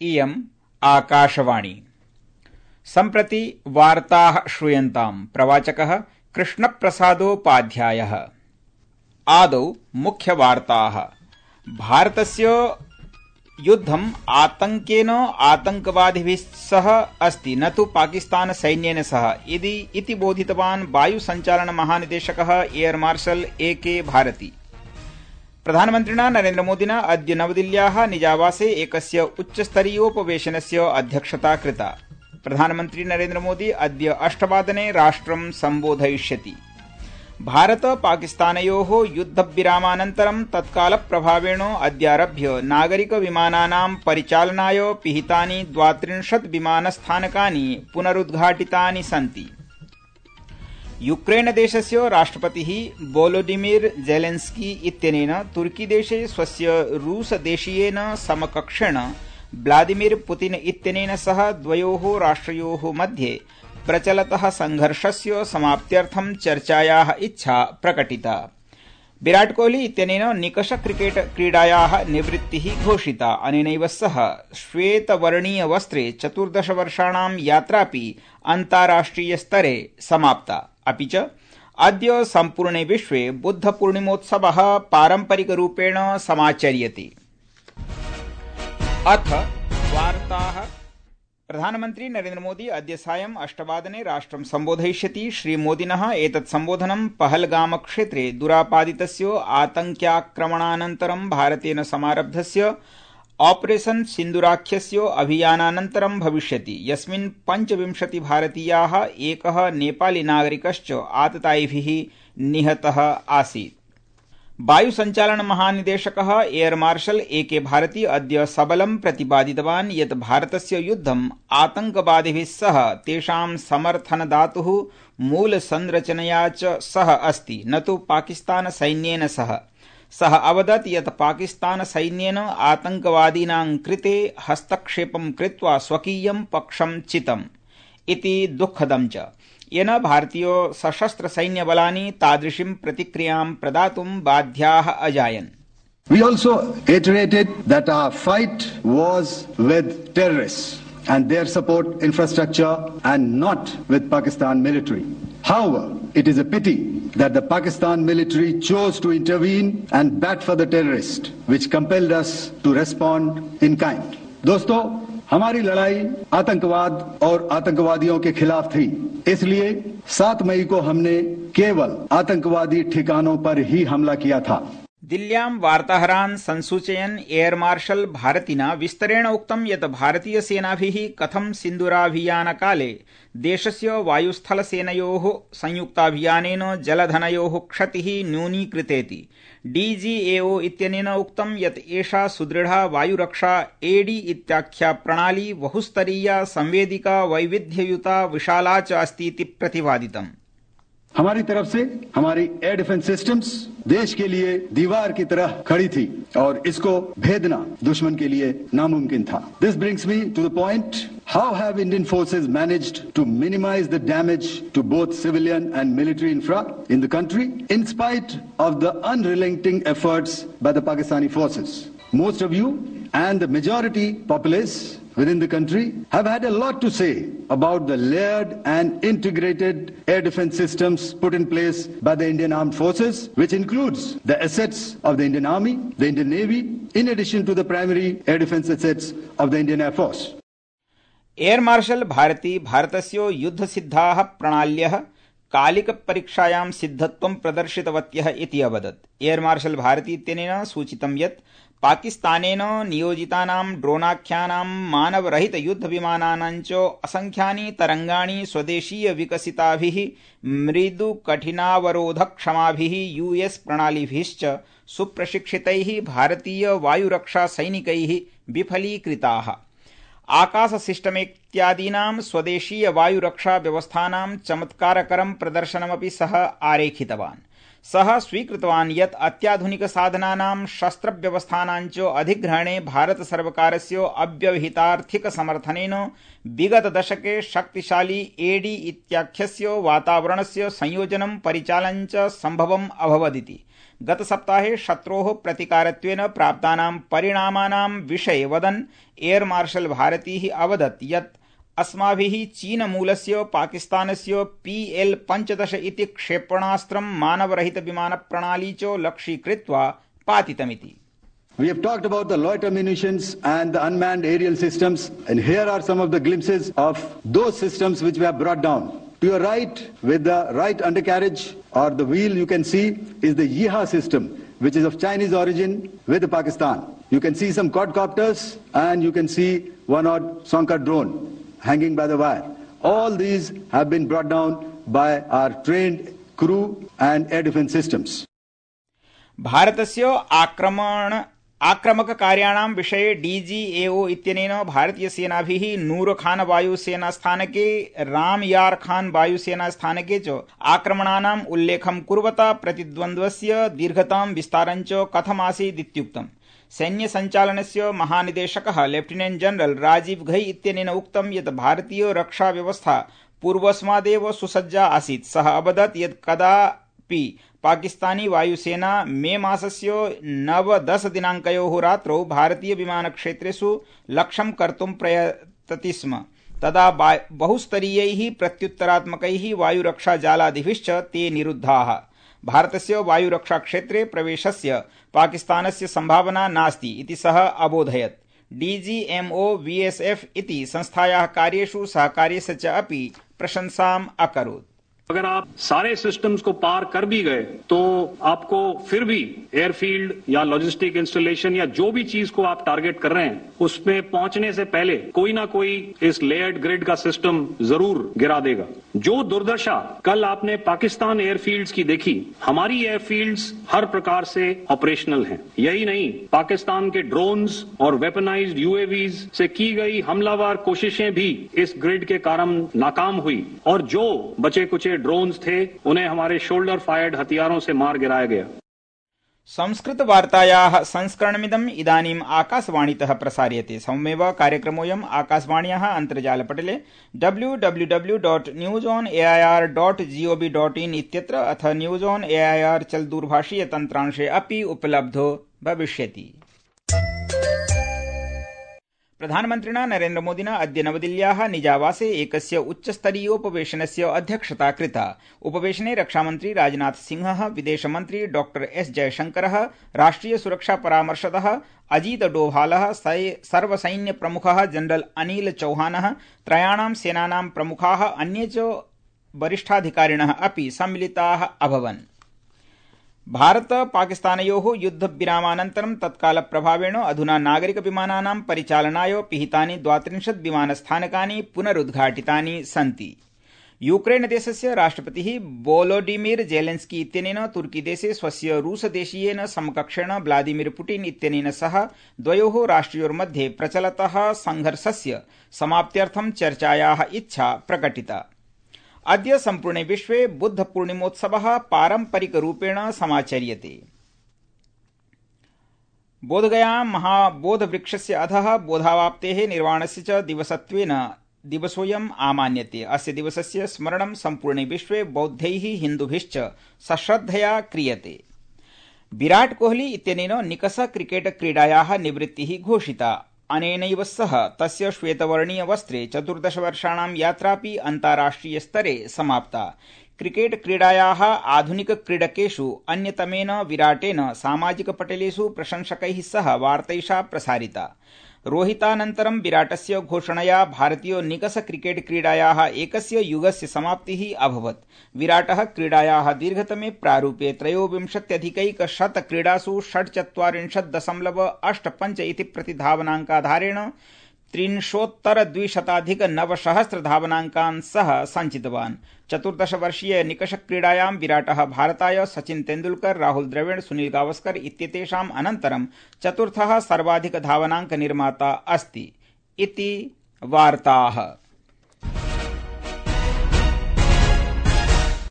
इयम् आकाशवाणी। सम्प्रति वार्ताः श्रूयन्ताम्। प्रवाचकः कृष्णप्रसादोपाध्यायः। आदौ मुख्यवार्ताः। भारतस्य युद्धम् आतङ्केन आतङ्कवादिभिः सह अस्ति, न तु पाकिस्तान सैन्येन सह इति बोधितवान् वायुसञ्चालनमहानिदेशकः एयर मार्शल ए.के. भारती। प्रधानमन्त्रिणा नरेन्द्रमोदिना अद्य नवदिल्ल्याः निजावासे एकस्य उच्चस्तरीयोपवेशनस्य अध्यक्षता कृता। प्रधानमन्त्री नरेन्द्रमोदी अद्य 8 राष्ट्रं सम्बोधयिष्यति। भारत पाकिस्तानयोः युद्धविरामानन्तरं तत्कालप्रभावेण अद्यारभ्य नागरिकविमानानां परिचालनाय पिहितानि 32 विमानस्थानकानि पुनरुद्घाटितानि सन्ति। यूक्रेनदेशस्य राष्ट्रपतिः वोलोडिमिर जेलेन्स्की इत्यनेन तुर्कीदेशे स्वस्य रूसदेशीयेन समकक्षेण व्लादिमिर पुतिन इत्यनेन सह द्वयोः राष्ट्रयोः मध्ये प्रचलतः संघर्षस्य समाप्त्यर्थं चर्चायाः इच्छा प्रकटिता। विराट कोहली इत्यनेन निकष क्रिकेट क्रीडायाः निवृत्तिः घोषिता। अनेनैव सह श्वेतवर्णीय वस्त्रे 14 वर्षाणां यात्रापि अन्ताराष्ट्रियस्तरे समाप्ता। अपि च अद्य सम्पूर्णे विश्वे बुद्धपूर्णिमोत्सवः पारम्परिकरूपेण समाचर्यते। अथ वार्ताः। प्रधानमन्त्री नरेन्द्रमोदी अद्य सायं 8 राष्ट्रं सम्बोधयिष्यति। श्रीमोदिनः एतत् सम्बोधनं पहलगामक्षेत्रे दुरापादितस्य आतङ्क्याक्रमणानन्तरं भारतेन समारब्धस्य ऑपरेशन सिन्दूराख्यस्य अभियानानन्तरं भविष्यति, यस्मिन् 25 भारतीयाः एकः नेपाली नागरिकश्च आततायिभिः निहतः आसीत्। वायुसञ्चालनमहानिदेशकः एयर मार्शल ए.के. भारती अद्य सबलं प्रतिपादितवान् यत् भारतस्य युद्धम् आतङ्कवादिभिः सह तेषां समर्थनदातुः मूलसंरचनया च सह अस्ति, न तु पाकिस्तान सैन्येन सह। सः अवदत् यत् पाकिस्तान सैन्येन आतङ्कवादीनां कृते हस्तक्षेपं कृत्वा स्वकीयं पक्षं चितम् इति दुःखदं च, येन भारतीय सशस्त्र सैन्यबलानि तादृशीं प्रतिक्रियां प्रदातुं बाध्याः अजायन्। We also iterated that our fight was with terrorists and their support infrastructure and not with Pakistan military. However, it is a pity that the Pakistan military chose to intervene and bat for the terrorists, which compelled us to respond in kind. दोस्तों, हमारी लड़ाई आतंकवाद और आतंकवादियों के खिलाफ थी, इसलिए 7 मई को हमने केवल आतंकवादी ठिकानों पर ही हमला किया था। दिल्ल्यां वार्ताहरान् संसूचयन् एयर मार्शल भारतिना विस्तरेण उक्तं यत् भारतीयसेनाभिः कथं सिन्दूराभियानकाले देशस्य वायुस्थलसेनयोः संयुक्ताभियानेन जलधनयोः क्षतिः न्यूनीकृतेति। डीजीएओ इत्यनेन उक्तं यत् एषा सुदृढा वायुरक्षा एडी इत्याख्या प्रणाली बहुस्तरीया संवेदिका वैविध्ययुता विशाला च अस्ति इति प्रतिपादितम्। हमारी तरफ से हमारी एयर डिफेंस सिस्टम्स देश के लिए दीवार की तरह खड़ी थी और इसको भेदना दुश्मन के लिए नामुमकिन था। This brings me to the point, how have Indian forces managed to minimise the damage to both civilian and military infra in the country in spite of the unrelenting efforts by the Pakistani forces. Most of you and the majority populace within the country have had a lot to say about the layered and integrated air defense systems put in place by the Indian Armed Forces, which includes the assets of the Indian Army, the Indian Navy, in addition to the primary air defense assets of the Indian Air Force. Air marshal Bharti भारतस्य युद्धसिद्धाः प्रणाल्यः कालिकपरीक्षायां सिद्धत्वं प्रदर्शितवत्यः इति अवदत्। Air marshal भारती इत्यनेन सूचितं यत् पाकिस्तानेन नियोजितानां ड्रोनाख्यानां मानवरहितयुद्धविमानानां च असंख्यानि तरंगाणि स्वदेशीय विकसिताभिः मृदुकठिनावरोधक्षमाभिः US प्रणालिभिश्च सुप्रशिक्षितैः भारतीय वायुरक्षा सैनिकैः विफलीकृताः। आकाश सिस्टम इत्यादीनां स्वदेशीय वायुरक्षा व्यवस्थानां चमत्कारकरं प्रदर्शनमपि सः आरेखितवान्। सः स्वीकृतवान् यत् अत्याधुनिक साधनानां शस्त्रव्यवस्थानां च अधिग्रहणे भारत सर्वकारस्य अव्यवहितार्थिक समर्थनेन विगत दशके शक्तिशाली एडी इत्याख्यस्य वातावरणस्य संयोजनं परिचालनं च सम्भवम् अभवदिति। गतसप्ताहे शत्रोः प्रतिकारत्वेन प्राप्तानां परिणामानां विषये वदन् एयर मार्शल भारतीः अवदत् यत् अस्माभिः चीनमूलस्य पाकिस्तानस्य PL-15 इति क्षेपणास्त्रं मानवरहितविमानप्रणाली च लक्ष्यीकृत्वा पातितमिति। We have talked about the loiter munitions and the unmanned aerial systems, and here are some of the glimpses of those systems which we have brought down. To your right, with the right undercarriage or the wheel, you can see is the Yeeha system, which is of Chinese origin with Pakistan. You can see some quadcopters and you can see one odd Sonka drone hanging by the wire. All these have been brought down by our trained crew and air defense systems. भारतस्य आक्रमककार्याणां विषये DGAO इत्यनेन भारतीयसेनाभिः नूरखान वायुसेनास्थानके रामयार खान वायुसेनास्थानके च आक्रमणानाम् उल्लेखं कुर्वता प्रतिद्वन्द्वस्य दीर्घतां विस्तारं च कथमासीदित्युक्तम्। सैन्यसञ्चालनस्य महानिदेशकः lieutenant general Rajiv Ghai इत्यनेन उक्तं यत् भारतीय रक्षा व्यवस्था पूर्वस्मादेव सुसज्जा आसीत्। सः अवदत् यत् कदापि पाकिस्तानी वायुसेना मे मासस्य 9-10 दिनाङ्कयोः रात्रौ भारतीय विमानक्षेत्रेषु लक्ष्यं कर्तुं प्रयतति स्म। तदा बहुस्तरीयैः प्रत्युत्तरात्मकैः वायुरक्षाजालादिभिश्च ते निरुद्धाः। भारतस्य वायुरक्षाक्षेत्रे प्रवेशस्य पाकिस्तानस्य सम्भावना नास्ति इति सः अबोधयत्। DGMO VSF इति संस्थायाः कार्येषु सहकार्यस्य च अपि प्रशंसाम् अकरोत्। अगर आप सारे सिस्टम्स को पार कर भी गए तो आपको फिर भी एयरफील्ड या लॉजिस्टिक इंस्टॉलेशन या जो भी चीज को आप टारगेट कर रहे हैं उसमें पहुंचने से पहले कोई ना कोई इस लेयर्ड ग्रिड का सिस्टम जरूर गिरा देगा। जो दुर्दशा कल आपने पाकिस्तान एयरफील्ड्स की देखी, हमारी एयरफील्ड्स हर प्रकार से ऑपरेशनल हैं। यही नहीं, पाकिस्तान के ड्रोन्स और वेपनाइज्ड UAVs से की गई हमलावर कोशिशें भी इस ग्रिड के कारण नाकाम हुई और जो बचे कुचे ड्रोन्स थे उन्हें हमारे शोल्डर फायर्ड हथियारों से मार गिराया गया। संस्कृतवार्तायाः संस्करणमिदम् इदानीम् आकाशवाणीतः प्रसार्यते। सममेव कार्यक्रमोऽयम् आकाशवाण्याः अन्तर्जालपटले www.newsonair.gov.in इत्यत्र अथ न्यूज ऑन एआईआर चलदूरभाषीय तन्त्रांशे अपि उपलब्धो भविष्यति। प्रधानमन्त्रिणा नरेन्द्रमोदिना अद्य नवदिल्ल्याः निजावासे एकस्य उच्चस्तरीयोपवेशनस्य अध्यक्षता कृता। उपवेशने रक्षामन्त्री राजनाथ सिंहः, विदेशमन्त्री डॉ एस जयशंकरः, राष्ट्रिय सुरक्षा परामर्शदः अजीत डोभालः, सर्वसैन्यप्रमुखः जनरल अनिल चौहानः, त्रयाणां सेनानां प्रमुखाः, अन्ये च वरिष्ठाधिकारिणः अपि सम्मिलिताः अभवन्। भारत पाकिस्तानयोः युद्धविरामानन्तरं तत्कालप्रभावेण अधुना नागरिकविमानानां परिचालनाय पिहितानि 32 विमानस्थानकानि पुनरुद्घाटितानि सन्ति। यूक्रेनदेशस्य राष्ट्रपतिः वोलोडिमिर जेलेन्स्की इत्यनेन तुर्कीदेशे स्वस्य रूसदेशीयेन समकक्षेण व्लादिमिर पुटिन इत्यनेन सह द्वयोः राष्ट्रयोर्मध्ये प्रचलतः संघर्षस्य समाप्त्यर्थं चर्चायाः इच्छा प्रकटिता। अद्य सम्पूर्णे विश्वे बुद्धपूर्णिमोत्सवः पारम्परिकरूपेण समाचर्यते। बोधगयां महाबोधवृक्षस्य अधः बोधावाप्तेः निर्वाणस्य च दिवसोऽयम् आमान्यते। अस्य दिवसस्य स्मरणं सम्पूर्णे विश्वे बौद्धैः हिन्दुभिश्च सश्रद्धया क्रियते। विराट कोहली इत्यनेन निकष क्रिकेट क्रीडायाः निवृत्तिः घोषिता। अनेनैव सह तस्य श्वेतवर्णीय वस्त्रे 14 वर्षाणां यात्रापि अन्ताराष्ट्रिय स्तरे समाप्ता। क्रिकेट क्रीडायाः आधुनिक क्रीडकेषु अन्यतमेन विराटेन सामाजिकपटलेषु प्रशंसकैः सह वार्तैषा प्रसारिता। रोहितानन्तरं विराटस्य घोषणया भारतीय निकष क्रिकेट क्रीडायाः एकस्य युगस्य समाप्तिः अभवत्। विराटः क्रीडायाः दीर्घतमे प्रारूपे 23+100 क्रीडासु 46.85 इति प्रतिधावनाङ्काधारेण 3,200+ धावनाङ्कान् सह सञ्चितवान्। 14-वर्षीय निकषक्रीडायां विराटः भारताय सचिन तेंदुलकर, राहुल द्रविड़, सुनील गावस्कर इत्येतेषाम् अनन्तरं चतुर्थः सर्वाधिक धावनाङ्क निर्माता अस्ति इति वार्ताः।